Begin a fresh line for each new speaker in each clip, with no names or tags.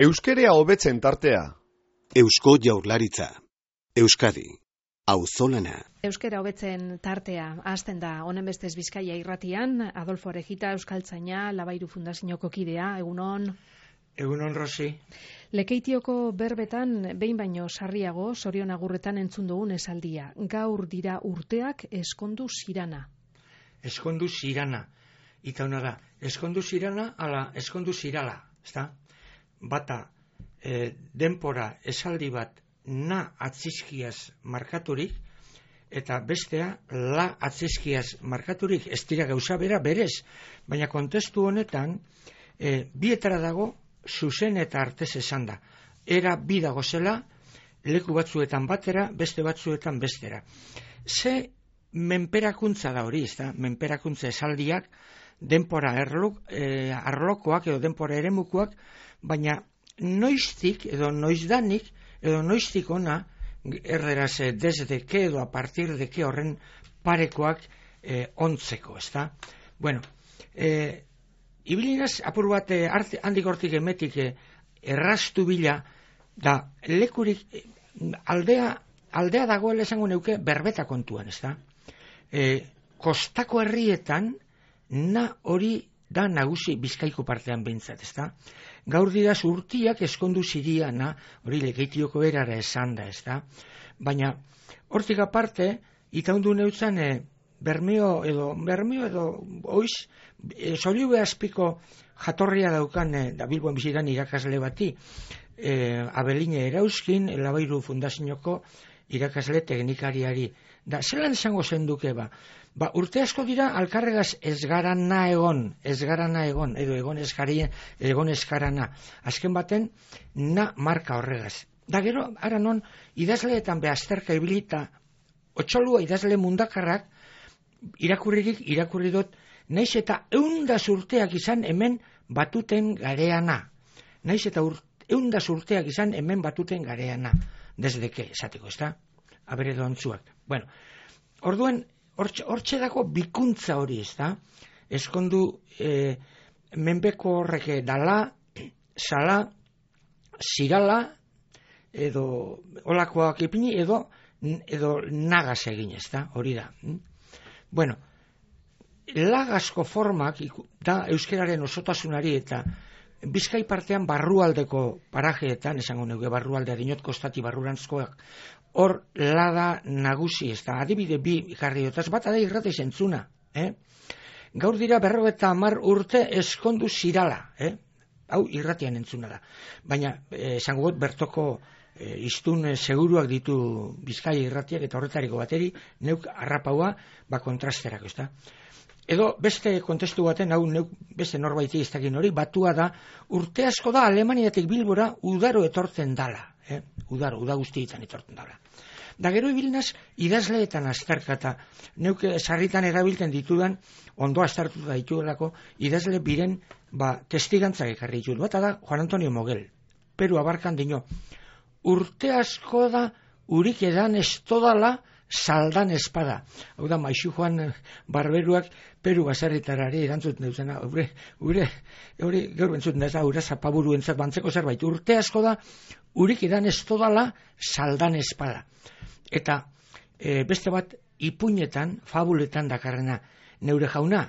Euskerea hobetzen tartea.
Eusko Jaurlaritza. Euskadi. Auzolana.
Euskera hobetzen tartea hasten da honen bestez Bizkaia irratian. Adolfo Orejita, euskaltzaina, Labairu Fundazioko kidea, egunon.
Egunon, Rosi.
Lekeitioko berbetan behin baino sarriago Sorion agurretan entzun dugun esaldia. Gaur dira urteak eskondu zirana.
Eskondu zirana. Ita hona da, eskondu zirana ala eskondu zirala, ezta? Bata, denpora esaldi bat na atzizkiaz markaturik, eta bestea la atzizkiaz markaturik, ez dira gauza bera berez, baina kontestu honetan, bietara dago zuzen eta artez esan da. Era bi dago zela, leku batzuetan batera, beste batzuetan bestera. Ze menperakuntza da hori, ezta? Menperakuntza esaldiak, denpora arlokoak edo denpora eremukoak, baina noiztik edo noizdanik edo noiztik ona erderaz desde que edo a partir de que horren parekoak ontzeko, ezta? Bueno, ibilinaz apur bat handik hortik emetik erraztu bila da lekurik aldea dagoela esango neuke berbeta kontuan, ezta? Kostako herrietan na hori da nagusi Bizkaiko partean behintzat, ezta? Gaur dira urtiak eskondu ziriana, hori Lekeitioko erara esan da, ezta? Baina, hortik aparte, itaundu neutzan, Bermeo edo oiz, Zoriube azpiko jatorria daukan, da Bilbon bizitan irakasle bati, Abeline Erauzkin, Labairu Fundazioko irakasle teknikariari. Da, zelan esango zenduke ba? Ba, urte asko dira alkarregaz ez garana egon, edo egon eskarana. Azken baten, na marka horregaz. Da gero, ara non, idazleetan behazterka ibilita, otxolua idazle mundakarrak, irakurri dut, naiz eta 100 urteak izan hemen batuten gareana. Naiz eta 100 urteak izan hemen batuten gareana. Desde que, esateko, ez da? Abere doantzuak. Bueno, orduen, hortxe dago bikuntza hori, ez da? Eskondu menbeko horrek dala, sala, zirala, edo olakoak ipini, edo nagaz egin, ez da? Hori da. Bueno, lagazko formak da euskeraren osotasunari eta Bizkai partean barrualdeko parajeetan, esango neuke barrualdea dinot kostati barrurantzkoak, hor lada nagusi, ez da, adibide bi jarri dutaz, bat da irrati zentzuna. Gaur dira 50 urte eskondu zirala, hau irratian entzuna da. Baina, esango got, bertoko iztun seguruak ditu Bizkaia irratiak eta horretariko bateri, neuk arrapaua, kontrasterako, ez da. Edo beste kontestu baten, hau neuk beste norbaiti iztakin hori, batua da, urte asko da Alemaniatik Bilbora udaro etortzen dala. Uda guztietan etortzen dala. Da gero ibilinaz, idazleetan azterkata, neuk sarritan erabiltzen ditudan, ondo aztertuta dituelako, idazle biren testigantzak ekarri ditut. Bata da, Juan Antonio Mogel, Peru abarkan dino, urte asko da, urik edan ez todala, saldan espada. Hau da, Maixu Juan Barberuak Peru baserritarari erantzuten duzena. Hori gaur entzuten da, ura zapaburu entzat bantzeko zerbait. Urte asko da, urik edan ez todala, saldan espada. Eta beste bat, ipuinetan, fabuletan dakarrena, neure jauna,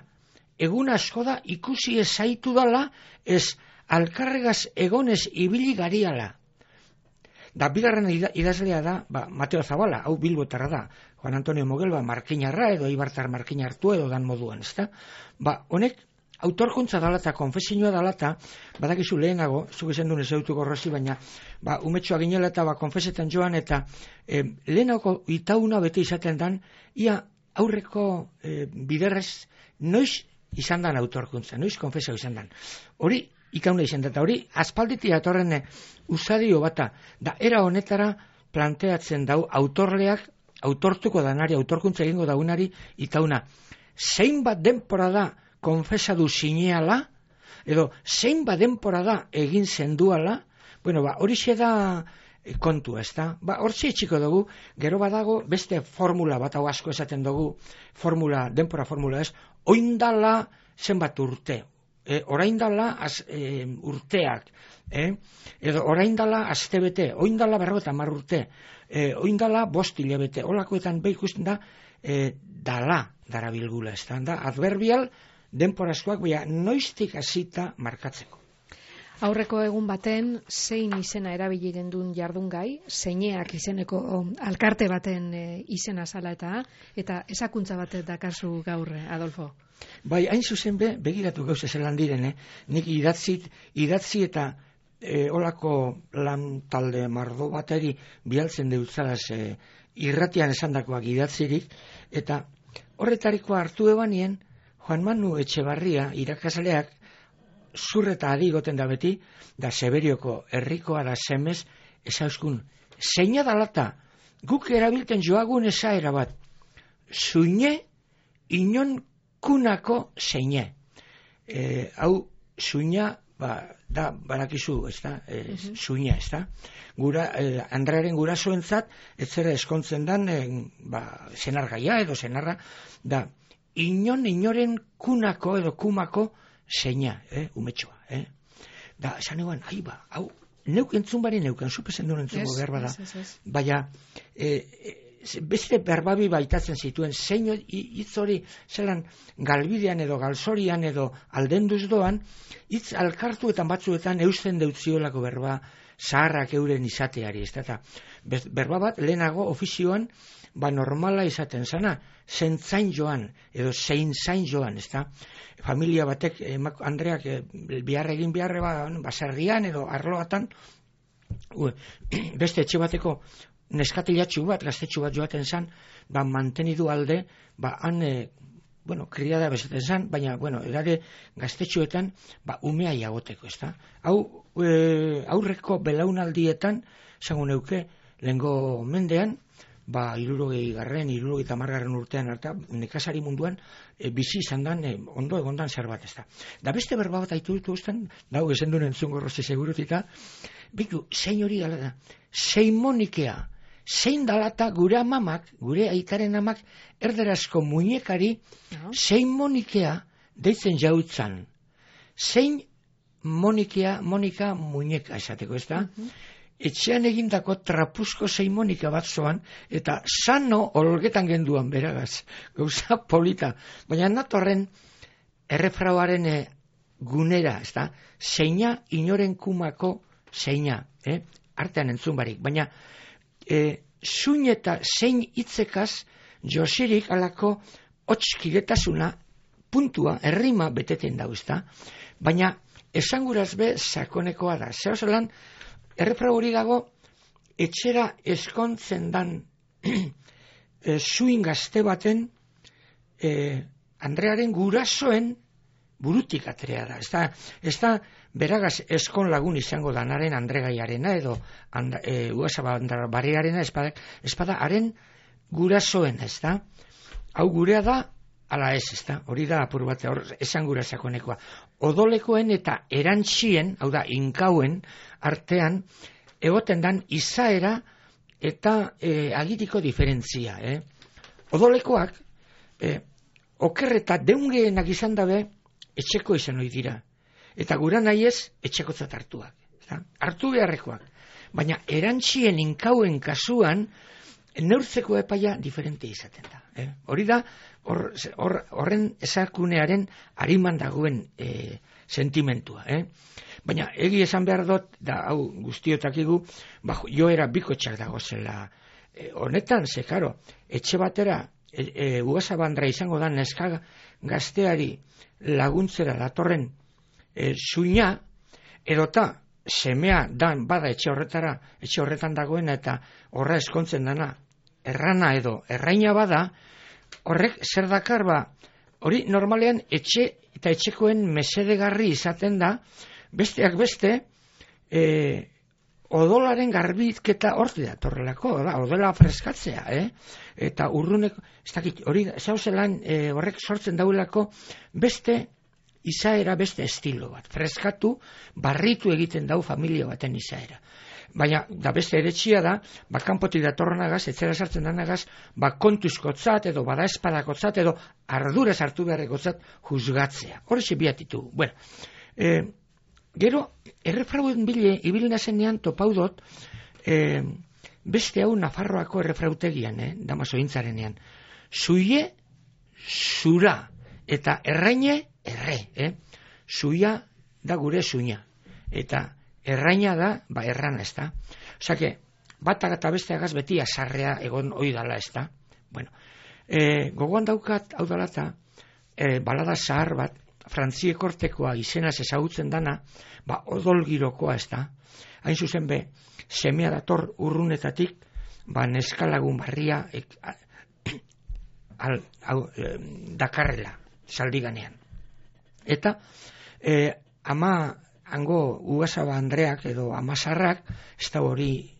egun asko da, ikusi ez zaitu dala, ez alkarregaz egonez ibili gariala. Da, bigarren idazlea da, Mateo Zabala, hau Bilbotarra da, Juan Antonio Mogel, markinarra edo Ibartar markinartu edo dan moduan, ezta? Honek, autorkuntza dala eta konfesioa dala eta, badakizu lehenago, zuk esan duen ezautuko Rosi, baina, umetxoa ginela eta konfesetan joan, eta lehenago itauna bete izaten dan, ia aurreko biderrez, noiz izan dan autorkuntza, noiz konfesio izan dan. Hori, ikauna izan da, eta hori, aspalditik atorren usadio bata, da era honetara planteatzen dau autorleak, autortuko danari, autorkuntza egingo daunari, itauna, zein bat denpora da konfesadu zineala, edo zein bat denpora da egin zenduala, bueno, hori xe da kontua, ez da? Hortxe etxiko dugu, gero badago beste formula bat, hau asko esaten dugu, denpora formula ez, oindala zenbat urte, orain dala urteak, edo orain dala astebete, orain dala 50 urte, orain dala 5 hilabete, holakoetan ikusten da, dala darabilgula, ez da, adverbial denporazkoak, baina noiztik hasita markatzeko.
Aurreko egun baten, zein izena erabili gendun jardungai, zeineak izeneko alkarte baten izena zala eta ezakuntza batet dakazu gaur, Adolfo.
Bai, hain zuzen begiratu gauza zelan direne, nik idatzi eta olako lan talde mardo bateri bialtzen deutzalaz irratian esandakoak idatzirik, eta horretarikoa hartu ebanien, Juan Manu Etxebarria irakasleak zurreta adigoten da beti, da Seberioko herrikoa da semez, ezauskun, zeina dalata, guk erabilten joagun esaera bat, zuine inon kunako zeine. Hau, zuina, da, barakizu, ez da, zuina, ez da. Andrearen gurasoentzat, ez zera eskontzen dan, zenargaia edo zenarra, da, inoren kunako edo kumako zeina, umetxoa, Da, esan eguan, hau, neuk entzun bari neukan, zupezen duen entzungo berba da. Baina, beste berbabi baitatzen zituen, zein hitz hori zelan galbidean edo galzorian edo aldenduz doan, hitz alkartuetan batzuetan eusten deutziolako berba zaharrak euren izateari, ez da. Berba bat, lehenago ofizioan, normala izaten zana, zentzain joan, edo zein zain joan, ez da. Familia batek, Andreak egin beharre baserrian edo arloatan, beste etxe bateko neskatilatxu bat, gaztetxu bat joaten zan, mantenidu alde, han, kriada bezaten zan, baina, edade gaztetxuetan, umea jagoteko, ez da. Hau, aurreko belaunaldietan, zango neuke, lehengo mendean, 60 urtean harta, nekazari munduan, bizi izan dan, ondo egondan zer bat ez da. Da beste berba bat aitu ditu usten, dau ezen duen entzungo rozi segurutika, bitu, zein hori gala da, zein monikea, zein dalata gure amamak, gure aitaren amak, erderazko muñekari, zein monikea deitzen jautzan. Zein monika muñeka esateko, ez da? Etxean egindako trapuzko zeimonika bat zoan, eta sano olgetan genduan beragaz, gauza polita. Baina natorren errefrauaren gunera, ez da, zeina inoren kumako zeina, artean entzun barik. Baina zuin eta zein hitzekaz josirik alako hotxkidetasuna puntua, errima beteten dau, ez da. Baina esanguraz be sakonekoa da. Zer zelan, errefrau hori dago, etxera eskontzen dan zuin gazte baten Andrearen gurasoen burutik atrea da. Ez da beragaz eskon lagun izango danaren Andregaiarena edo Uasabandarbarriarena espada haren gurasoen, ez da. Hau gurea da, ala ez da. Hori da apur bat, esan gura sakonekoa. Odolekoen eta erantzien, hau da, inkauen artean, egoten dan izaera eta agitiko diferentzia. Odolekoak, oker eta deungeenak izan dabe, etxeko izan hori dira. Eta gura nahi ez, etxekotzat hartuak. Hartu beharrekoak. Baina erantzien inkauen kasuan, neurtzeko epaia diferente izaten da. Hori da, horren esakunearen hariman dagoen sentimentua. Baina egi esan behar dut, da hau guztiotakigu, joera bikotxak dago zela. Honetan, ze, karo, etxe batera, Ugasabandra izango da neska gazteari laguntzera datorren zuina, edota semea dan bada etxe horretan dagoena eta horra eskontzen dana errana edo erraina bada, horrek zer dakar hori normalean etxe eta etxekoen mesedegarri izaten da, besteak beste, odolaren garbiketa horti da, torrelako, odola freskatzea, eta urruneko, ez dakit, hori zauzelan horrek sortzen dauelako beste izaera beste estilo bat. Freskatu, barritu egiten dau familia baten izaera. Baina, da beste eretxia da, kanpotik datorrenagaz, etzera sartzen danagaz, kontuzkotzat edo badaespadakotzat edo ardura sartu beharrekotzat juzgatzea. Horrexe biatitu. Bueno, gero, errefrauen bile, ibilina zenean topaudot, beste hau Nafarroako errefrautegian, damaso intzarenean. Zuie, zura, eta erraine, erre. Zuia da gure zuina. Eta erraina da, errana, ez da. Osake, batak eta besteagaz beti azarrea egon oidala, ez da. Bueno, gogoan daukat, hau dalata, balada zahar bat, Frantziekortekoa izenaz ezagutzen dana, odolgirokoa, ez da. Hain zuzen be, semea dator urrunetatik, neskalagun barria dakarrela, zaldiganean. Eta, ama hango Ugasaba Andreak edo Amasarrak, ez da hori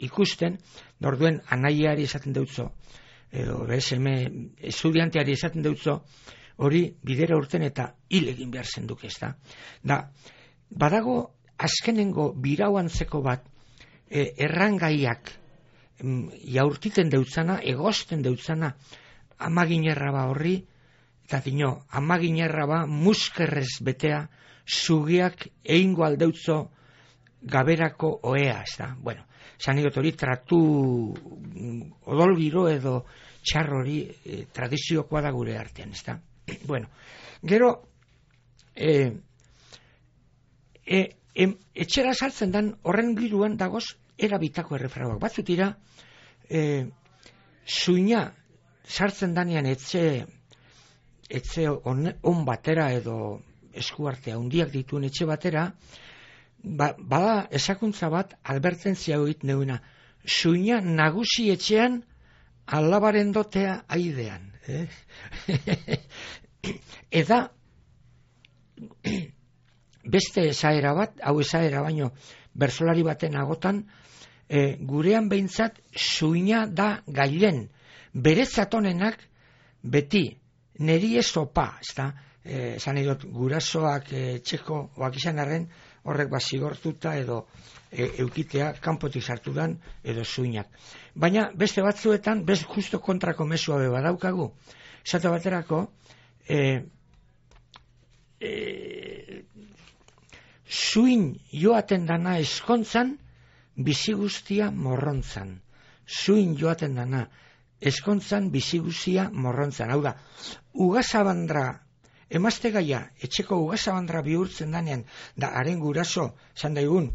ikusten, norduen anaiari esaten deutzo, edo BSM estudianteari esaten deutzo, hori bidera urten eta hil egin behar zenduk, ez da. Badago azkenengo birauantzeko bat, errangaiak jaurtiten deutzana, egosten deutzana, amaginerra horri, eta dino, amaginerra muskerrez betea, zugiak egingo aldeutzo gaberako oea, ez da. Bueno, zanigot hori tratu odolgiro edo txarrori tradiziokoa da gure artean, ez da. Bueno, gero etxera sartzen dan horren giruan dagoz erabitako errefrauak. Batzutira zuina sartzen danean etxe on batera edo eskuartea handiak dituen etxe batera, bada esakuntza bat albertentzia hoit neuena, zuina nagusi etxean alabaren dotea aidean. Eta beste esaera bat, hau esaera baino bersolari baten agotan, gurean behintzat zuina da gailen, beretzatonenak beti neri ezopa, ez da, esan edot, gurasoak txeko oak izan arren, horrek zigortuta edo eukitea kanpotik sartu dan edo zuinak. Baina beste batzuetan, justo kontrako mesua beba daukagu. Esate baterako, zuin joaten dana eskontzan, bizi guztia morrontzan. Zuin joaten dana eskontzan, bizi guztia morrontzan. Hau da, Ugasabandra, emazte gaia, etxeko Ugasabandra bihurtzen danean, da haren guraso, zan daigun,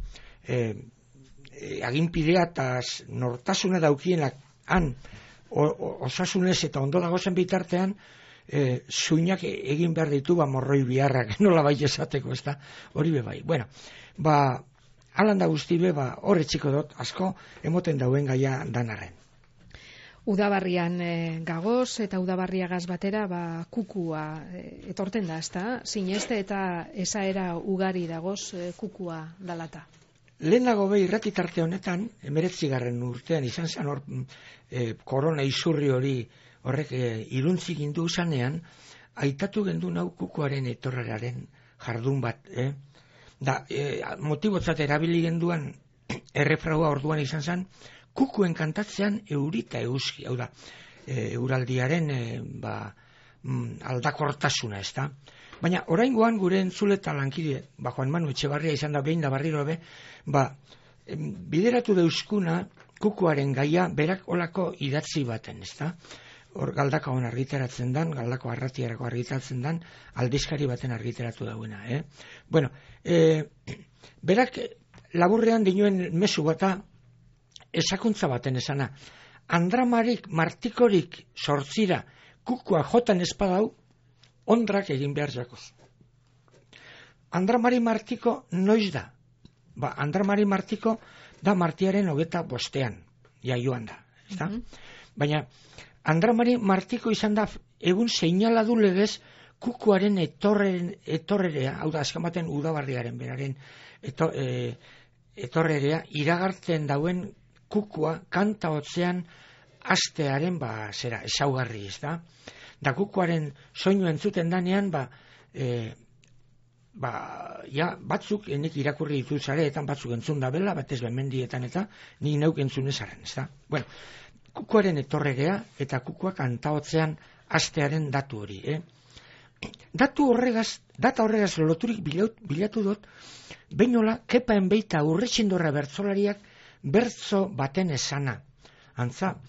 aginpidea eta nortasuna daukienak han, osasunez eta ondo dagozen bitartean, zuinak egin behar ditu morroi biharrak, nola bai esateko, ez da, hori bebai. Bueno, alan da guzti be, horre txiko dut, asko, emoten dauen gaia danarren.
Udabarrian gagoz eta udabarriagaz batera kukua etorten da, ezta? Sineste eta esaera ugari dagoz kukua dalata.
Lehenago irratitarte honetan, 19. urtean izan zen hor korona izurri hori horrek iruntzik indu zanean, aitatu gendu nau kukuaren etorreraren jardun bat. Motibotzat erabili genduan errefraua orduan izan zen, kukuen kantatzean eurita euski, hau da, euraldiaren aldakortasuna, ez da. Baina oraingoan gure entzule eta lankide, Juan Manu Etxebarria izan da behin da barriro be, bideratu deuskuna kukuaren gaia berak olako idatzi baten, ez da. Hor galdaka hon argitaratzen dan, galdako arratiarako argitaratzen dan, aldizkari baten argitaratu dauena. Bueno, berak laburrean dinuen mezu bata, esakuntza baten esana, Andramarik martikorik sortzira kukua jotan espadau, ondrak egin behar jakoz. Andramari martiko noiz da? Andramari martiko da martiaren 25, joan da. Baina, Andramari martiko izan da egun seinaladu legez kukuaren etorrerea, hau da, azkamaten udabarriaren beraren etorrerea, iragartzen dauen kukua kanta hotzean astearen ezaugarri, ez da? Da kukuaren soinu entzuten danean, batzuk, nik irakurri ditut zareetan, batzuk entzun da bela, batez mendietan eta nik neuk entzun ezaren, ez da? Bueno, kukuaren etorregea eta kukuak antaotzean hastearen datu hori, Data horregaz loturik bilatu dut, beinola, kepaen beita Urretxindorra bertzolariak bertzo baten esana. Antza,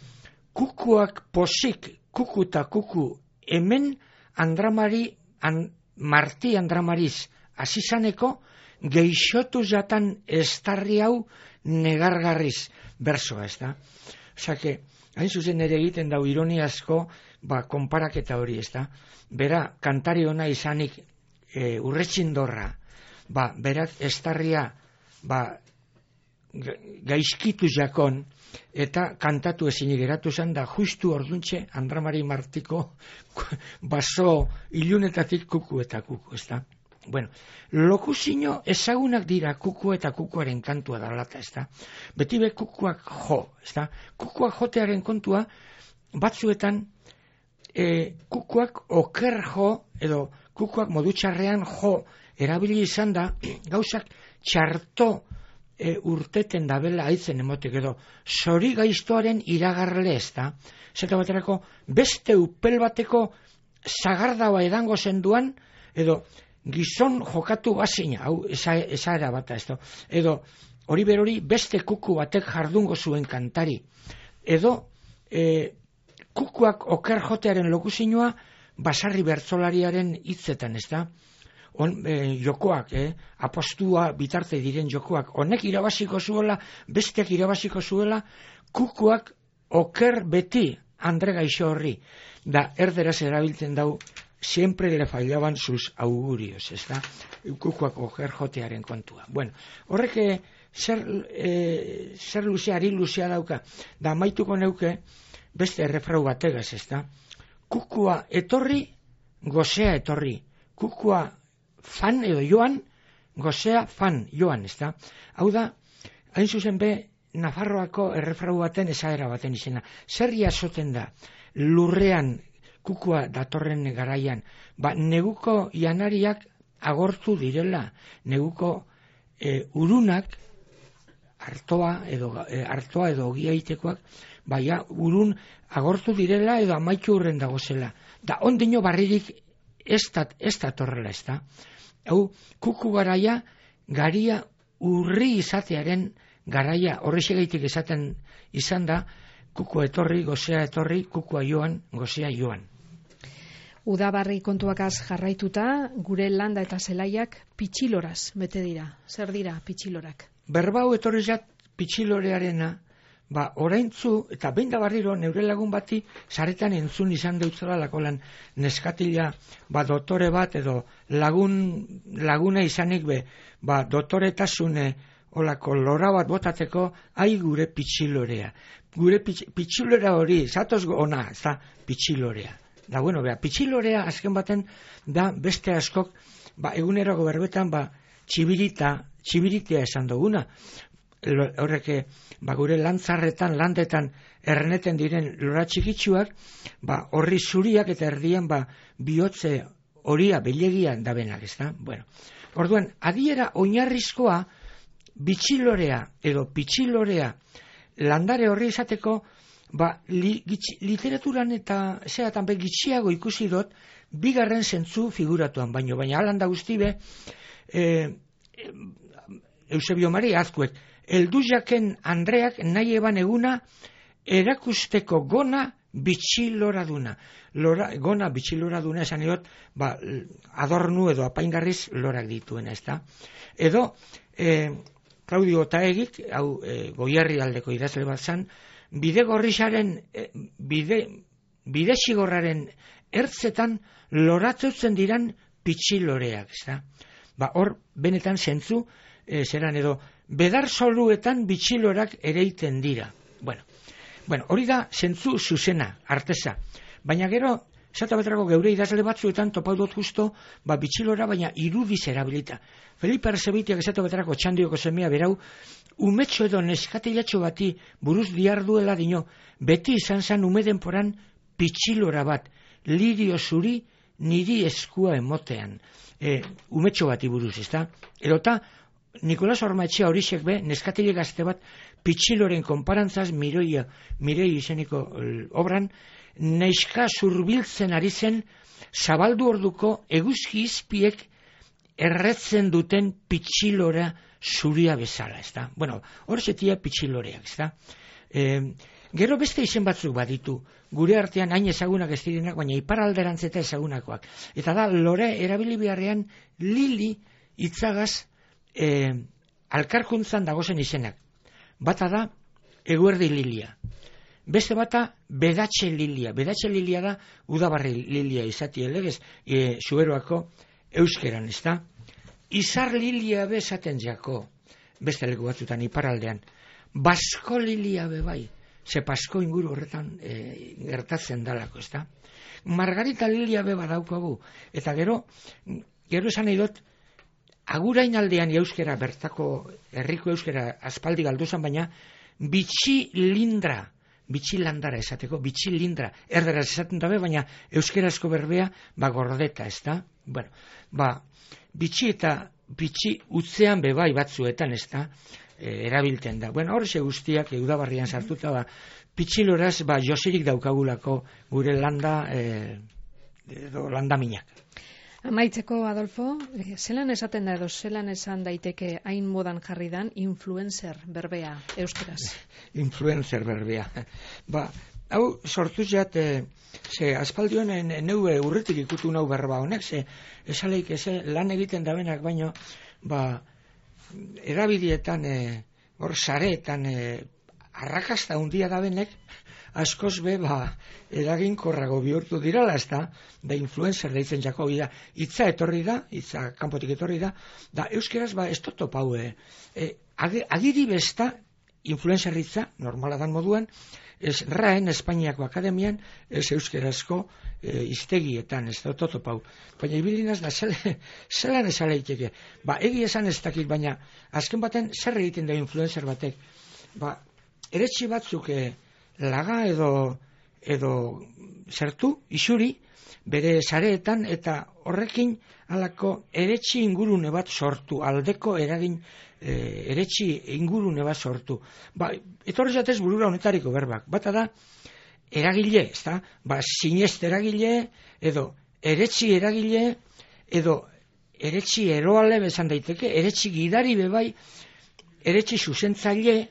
kukuak posik, kuku eta kuku, hemen Marti Andramariz azizaneko geixotu jatan estarri hau negargarriz bertsoa, ez da? Osake, hain zuzen ere egiten dau ironiazko, konparaketa hori, ez da? Bera, kantari ona izanik Urretxindorra, berak estarria gaizkitu jakon, eta kantatu ezinik geratu zen, da justu orduntxe Andramari Martiko baso ilunetatik kuku eta kuku, ez da? Bueno, lokuzino ezagunak dira kuku eta kukuaren kantua dalata, ez da? Beti be kukuak jo, ez da? Kukuak jotearen kontua, batzuetan kukuak oker jo, edo kukuak modu txarrean jo, erabili izan da, gauzak txarto urteten dabela aitzen emotek, edo zori gaiztoaren iragarle, ez da? Zeta baterako, beste upel bateko zagardaua edango zenduan, edo gizon jokatu bazina, hau esaera bata, ez da? Edo hori berori beste kuku batek jardungo zuen kantari, edo kukuak oker jotearen lokuzinoa basarri bertzolariaren hitzetan, ez da? Jokoak, apostua bitarte diren jokoak, honek irabaziko zuela, besteak irabaziko zuela, kukuak oker beti Andre Gaixo horri, da erderaz erabiltzen dau, siempre le fallaban sus augurios, ez da? Kukuak oker jotearen kontua. Bueno, horrek zer luzea, ari luzea dauka, da maituko neuke, beste errefrau bategaz, ez da? Kukua etorri, gozea etorri. Kukua fan edo joan, gozea fan joan, ez da? Hau da, hain zuzen be, Nafarroako errefrau baten esaera baten izena. Zer jasoten da, lurrean kukua datorren garaian, neguko janariak agortu direla, neguko urunak, artoa edo ogiaitekoak, urun agortu direla edo amaitu hurren dagozela. Da ondino barririk ez datorrela, ez da? Hau, kuku garaia, garia urri izatearen garaia, horrexegaitik esaten izan da, kukua etorri, gozea etorri, kukua joan, gozea joan.
Udabarri kontuakaz jarraituta, gure landa eta zelaiak pitxiloraz bete dira. Zer dira pitxilorak?
Berbau etorri zat pitxilorearena, oraintzu, eta behin da barriro, neure lagun bati, zaretan entzun izan deutzela lakolan neskatila, dotore bat, edo laguna izanik be, dotoretasune, olako lora bat botateko, ai gure pitxilorea. Gure pitxilora hori, zatoz ona, ez da, pitxilorea. Da, bueno, pitxilorea azken baten, da, beste askok, egunerako berbetan, txibiritea esan duguna. Horrek, gure lantzarretan, landetan, erneten diren lora txikitsuak, horri zuriak eta erdian, bihotze horia, belegia dabenak, ez da? Bueno, orduan, adiera oinarrizkoa, bitxilorea edo pitxilorea landare horri izateko, literaturan eta zeatan gitxiago ikusi dut, bigarren zentzu figuratuan, baina alanda guztibe, Eusebio Mari Azkuek, eldu jaken Andreak nahi eban eguna erakusteko gona bitxilora duna. Gona bitxilora duna esan edot, adornu edo apaingarriz lorak dituena, ez da? Edo, Claudio Otaegik, hau Goierri aldeko idazle bat zan, bide xigorraren ertzetan loratzeutzen diran pitxiloreak, ez da? Hor, benetan zentzu, zeran edo, bedar soluetan bitxilorak ereiten dira. Bueno, hori da zentzu zuzena, arteza. Baina gero, esata baterako geure idazle batzuetan topau dut justo, bitxilora, baina irudiz erabilita. Felipe Arzebitiak esata baterako txandioko semea berau, umetxo edo neskatilatxo bati buruz diarduela dino, beti izan zan ume denporan pitxilora bat, lirio zuri niri eskua emotean, umetxo bati buruz, ezta? Edota, Nikolas Ormaetxea horixek be, neskatile gazte bat, pitxiloren konparantzaz mirei izeniko obran, neska zurbiltzen ari zen, zabaldu orduko eguzki izpiek erretzen duten pitxilora zuria bezala, ezta? Bueno, hor zetia pitxiloreak, ezta? Gero beste izen batzuk baditu, gure artean hain ezagunak ez direnak, baina iparalderantz eta ezagunakoak. Eta da, lore erabili beharrean lili itzagaz alkarkuntzan dagozen izenak. Bata da, eguerdi lilia. Beste bata, bedatxe lilia. Bedatxe lilia da, udabarri lilia izati elegez, Zuberoako euskeran, ez da? Izar lilia be esaten jako, beste leku batzutan iparaldean. Basko lilia be bai, ze pasko inguru horretan gertatzen dalako, ez da? Margarita lilia be badaukagu, eta gero esan nahi dut, agurain aldean euskera, bertako herriko euskera aspaldi galduzan, baina bitxilindra esateko, bitxilindra, erderaz esaten dabe, baina euskerazko berbea, gordeta, ez da? Bueno, bitxi eta bitxi utzean bebai batzuetan, ez da? Erabilten da. Bueno, horxe guztiak udabarrian sartuta, pitxiloraz, josirik daukagulako gure landa, edo landaminak.
Amaitzeko, Adolfo, zelan esaten da edo zelan esan daiteke hain modan jarri dan influencer berbea euskeraz?
Influencer berbea. Hau sortuz jat, ze aspaldioen neue urretik ikutu nau berba honek, ze esaleik lan egiten dabenak baino, erabidietan, hor sareetan, arrakasta hundia dabenek, askoz be, eraginkorrago bihurtu dirala, ez da influencer deitzen jako, hitza etorri da, hitza kanpotik etorri da, euskeraz, ez totop hau, agiri besta, influencer hitza, normala dan moduan, ez RAEN, Espainiako Akademian, ez euskerazko iztegietan, ez da totop hau. Baina ibilinaz da, zelan esaleiteke. Egi esan ez dakit, baina azken baten zer egiten da influencer batek. Eretxi batzuk laga edo zertu, isuri, bere sareetan, eta horrekin halako eretxi ingurune bat sortu, aldeko eragin eretxi ingurune bat sortu. Etorri zatez burura honetariko berbak. Bata da, eragile, ez da? Sinest eragile, edo eretxi eragile, edo eretxi eroale bezan daiteke, eretxi gidari bebai, eretxi zuzentzaile,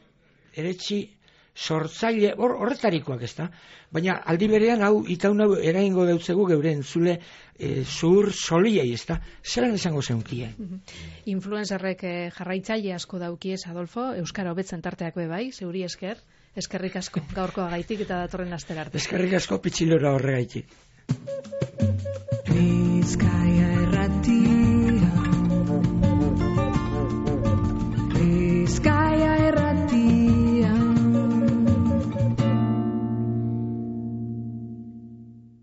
eretxi sortzaile, horretarikoak, ez da? Baina aldi berean hau itaun hau eraingo deutzegu geure entzule zur soliei, ez da? Zelan esango zeunkie?
Influencerrek jarraitzaile asko daukiez, Adolfo, Euskara hobetzen tarteak bebai, zeuri esker, eskerrik asko gaurkoa gaitik eta datorren astera arte.
Eskerrik asko pitxilora horregaitik.
Bizkaia Irrati